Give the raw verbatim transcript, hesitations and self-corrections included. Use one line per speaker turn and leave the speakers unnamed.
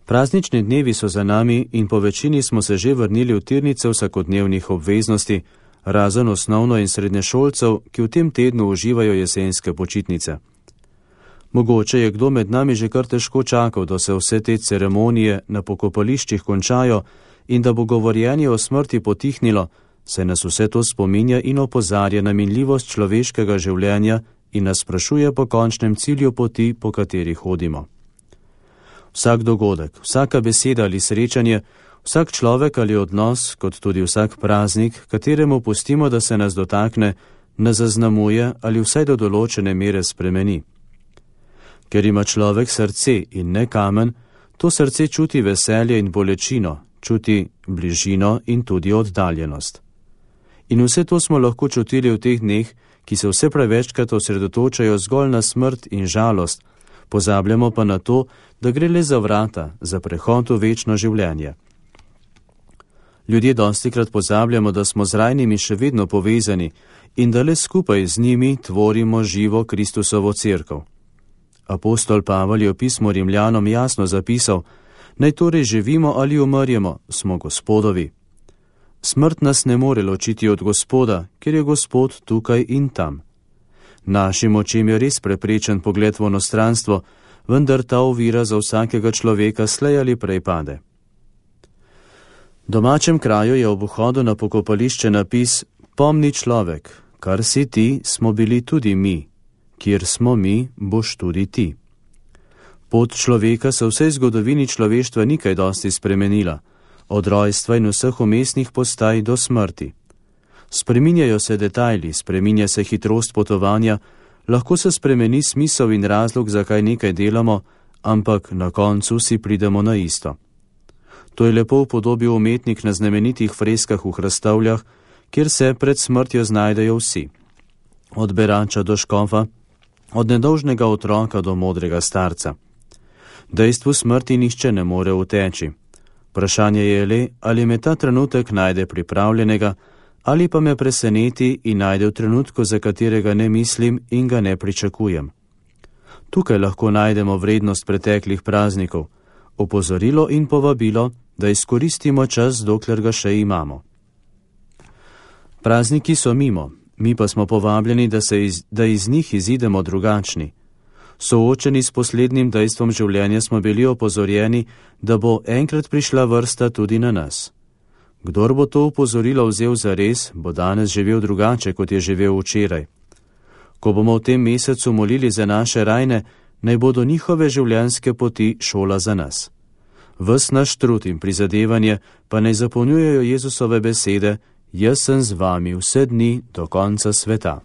Praznični dnevi so za nami in po večini smo se že vrnili v tirnice vsakodnevnih obveznosti, razen osnovno- in srednješolcev, ki v tem tednu uživajo jesenske počitnice. Mogoče je kdo med nami že kar težko čakal, da se vse te ceremonije na pokopališčih končajo in da bo govorjenje o smrti potihnilo, saj nas vse to spominja in opozarja na minljivost človeškega življenja in nas sprašuje po končnem cilju poti, po kateri hodimo. Vsak dogodek, vsaka beseda ali srečanje, vsak človek ali odnos, kot tudi vsak praznik, kateremu pustimo, da se nas dotakne, nas zaznamuje ali vsaj do določene mere spremeni. Ker ima človek srce in ne kamen, to srce čuti veselje in bolečino, čuti bližino in tudi oddaljenost. In vse to smo lahko čutili v teh dneh, ki se vse prevečkrat osredotočajo zgolj na smrt in žalost, pozabljamo pa na to, da gre le za vrata, za prehod v večno življenje. Ljudje dostikrat pozabljamo, da smo z rajnimi še vedno povezani in da le skupaj z njimi tvorimo živo Kristusovo cerkev. Apostol Pavel je v pismu Rimljanom jasno zapisal: naj torej živimo ali umrjemo, smo Gospodovi. Smrt nas ne more ločiti od Gospoda, ker je Gospod tukaj in tam. Našim očem je res preprečen pogled v onostranstvo, vendar ta ovira za vsakega človeka slej ali prej pade. V domačem kraju je ob vhodu na pokopališče napis: pomni človek, kar si ti, smo bili tudi mi, kjer smo mi, boš tudi ti. Pot človeka se v vsej zgodovini človeštva ni kaj dosti spremenila, od rojstva in vseh umestnih postaj do smrti. Spreminjajo se detajli, spreminja se hitrost potovanja, lahko se spremeni smisel in razlog, zakaj nekaj delamo, ampak na koncu si pridemo na isto. To je lepo upodobil umetnik na znamenitih freskah v Hrastovljah, kjer se pred smrtjo znajdejo vsi. Od berača do škofa, od nedolžnega otroka do modrega starca. Dejstvu smrti nihče ne more uteči. Vprašanje je le, ali me ta trenutek najde pripravljenega, ali pa me preseneti in najde v trenutku, za katerega ne mislim in ga ne pričakujem. Tukaj lahko najdemo vrednost preteklih praznikov, opozorilo in povabilo, da izkoristimo čas, dokler ga še imamo. Prazniki so mimo, mi pa smo povabljeni, da, se iz, da iz njih izidemo drugačni. Soočeni s poslednjim dejstvom življenja smo bili opozorjeni, da bo enkrat prišla vrsta tudi na nas. Kdor bo to opozorilo vzel za res, bo danes živel drugače, kot je živel včeraj. Ko bomo v tem mesecu molili za naše rajne, naj bodo njihove življenjske poti šola za nas. Ves naš trud in prizadevanje pa naj zapolnjujejo Jezusove besede: jaz sem z vami vse dni do konca sveta.